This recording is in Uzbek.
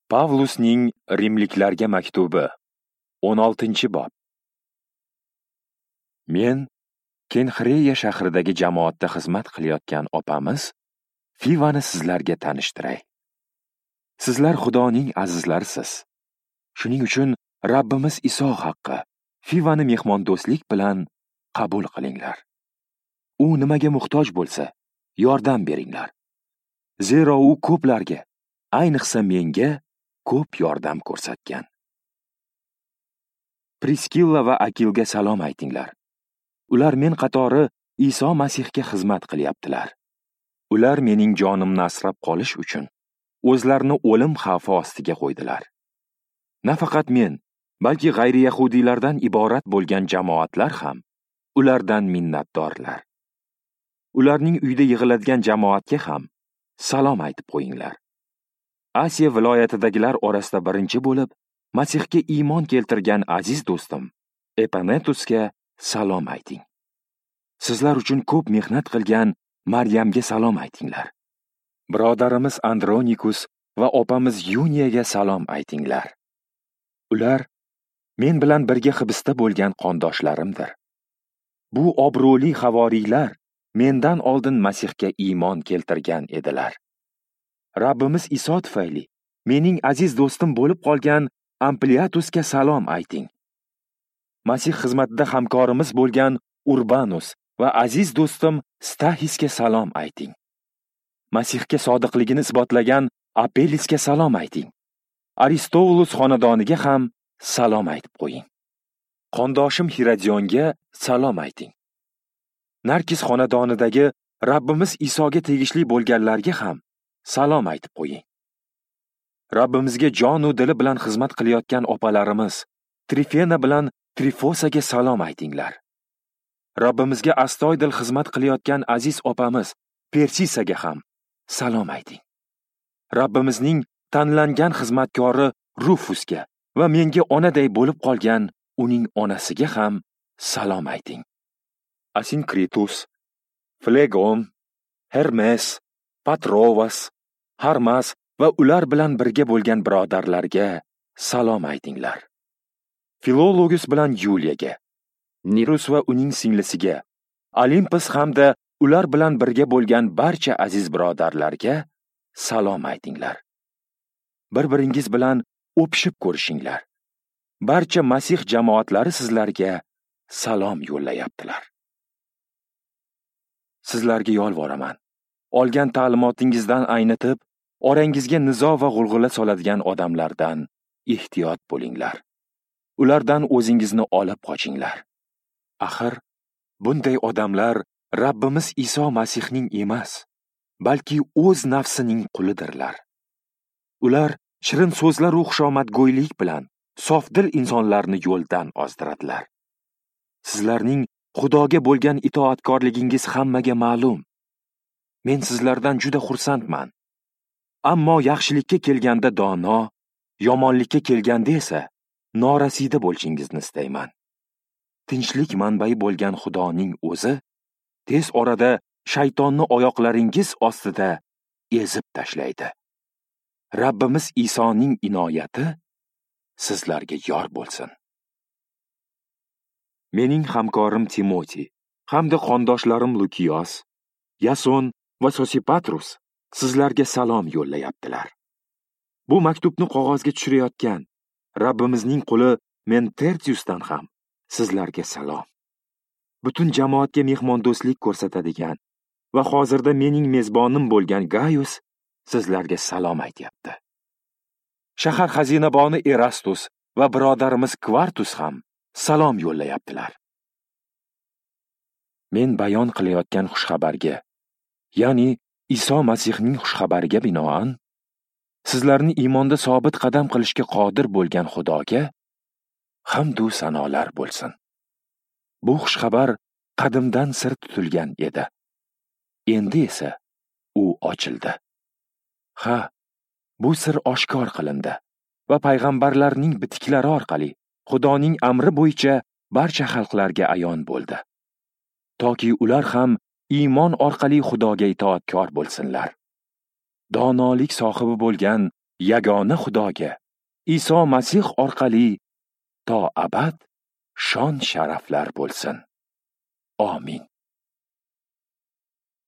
Pavlusning Rimliklarga maktubi, 16-bob. Men Kenxreya shahridagi jamoatda xizmat qilayotgan opamiz Fivani sizlarga tanishtiray. Sizlar Xudoning azizlarisiz. Shuning uchun Rabbimiz Iso haqqi Fivani mehmondo'stlik bilan qabul qilinglar. U nimaga muhtoj bo'lsa, yordam beringlar. Zero u ko'plarga, ayniqsa menga ko'p yordam ko'rsatgan. Priskilla va Akilga salom aytinglar. Ular men qatori Iso Masihga xizmat qilyaptilar. Ular mening jonimni asrab qolish uchun o'zlarini o'lim xavfi ostiga qo'ydilar. Nafaqat men, balki g'ayri yahudiylardan iborat bo'lgan jamoatlar ham ulardan minnatdorlar. Ularning uyda yig'iladigan jamoatga ham salom aytib qo'yinglar. Asiya viloyatidagilar orasida birinchi bo'lib Masihga iymon keltirgan aziz do'stim Epanetusga salom ayting. Sizlar uchun ko'p mehnat qilgan Maryamga salom aytinglar. Birodarimiz Andronikus va opamiz Yuniyaga salom aytinglar. Ular men bilan birga hibsda bo'lgan qondoshlarimdir. Bu obro'li havoriylar mendan oldin Masihga iymon keltirgan edilar. Rabbimiz Iso tufayli mening aziz do'stim bo'lib qolgan Ampliatusga salom ayting. Masih xizmatida hamkorimiz bo'lgan Urbanus va aziz do'stim Stahisga salom ayting. Masihga sodiqligini isbotlagan Apellisga salom ayting. Aristovulus xonadoniga ham salom aytib qo'ying. Qondoshim Hiradionga salom ayting. Narkis xonadonidagi Rabbimiz Isoga tegishli bo'lganlarga ham salom aytib qo'ying. Rabbimizga jon u dili bilan xizmat qilayotgan opalarimiz Trifena bilan Trifosaga salom aytinglar. Rabbimizga astoydil xizmat qilayotgan aziz opamiz Persisaga ham salom ayting. Rabbimizning tanlangan xizmatkori Rufusga va menga onaday bo'lib qolgan uning onasiga ham salom ayting. Asinkritus, Flegon, Hermes, Patrovas, Harmas va ular bilan birga bo'lgan birodarlarga salom aytinglar. Filologus bilan Yuliyaga, Nirus va uning singlisiga, Olympus hamda ular bilan birga bo'lgan barcha aziz birodarlarga salom aytinglar. Bir-biringiz bilan o'pishib ko'rishinglar. Barcha Masih jamoatlari sizlarga salom yo'llayaptilar. Sizlarga yolvoraman. Olgan ta'limotingizdan aynitib, orangizga nizo va g'ulg'ula soladigan odamlardan ehtiyot bo'linglar. Ulardan o'zingizni olib qochinglar. Axir, bunday odamlar Rabbimiz Iso Masihning emas, balki o'z nafsining qulidirlar. Ular shirin so'zlar va xushomadgo'ylik bilan sofdil insonlarni yo'ldan ozdiradilar. Sizlarning Xudoga bo'lgan itoatkorligingiz hammaga ma'lum. Men sizlardan juda xursandman. Ammo yaxshilikka kelganda dono, yomonlikka kelganda esa norasida bo'lishingizni istayman. Tinchlik manbai bo'lgan Xudoning o'zi tez orada shaytonni oyoqlaringiz ostida ezib tashlaydi. Rabbimiz Isoning inoyati sizlarga yor bo'lsin. Mening hamkorim Timoti hamda qondoshlarim Lukiyos, Yason va Sosipatrus sizlarga salom yo'llayaptilar. Bu maktubni qog'ozga tushirayotgan Rabbimizning quli men Tertiusdan ham sizlarga salom. Butun jamoatga mehmondo'stlik ko'rsatadigan va hozirda mening mezbonim bo'lgan Gaius sizlarga salom aytyapti. Shahar xazinaboni Erastus va birodarimiz Kvartus ham salom yo'llayaptilar. Men bayon qilayotgan xushxabarga, ya'ni Iso Masihning xushxabariga binoan, sizlarni iymonda sobit qadam qilishga qodir bo'lgan Xudoga hamd u sanolar bo'lsin. Bu xushxabar qadimdan sir tutilgan edi. Endi esa u ochildi. Ha, bu sir oshkor qilindi va payg'ambarlarning bitiklari orqali Xudoning amri bo'yicha barcha xalqlarga ayon bo'ldi. Toki ular ham iymon orqali Xudoga itoatkor bo'lsinlar. Donolik sohibi bo'lgan yagona Xudoga Iso Masih orqali to abad shon sharaflar bo'lsin. Amin.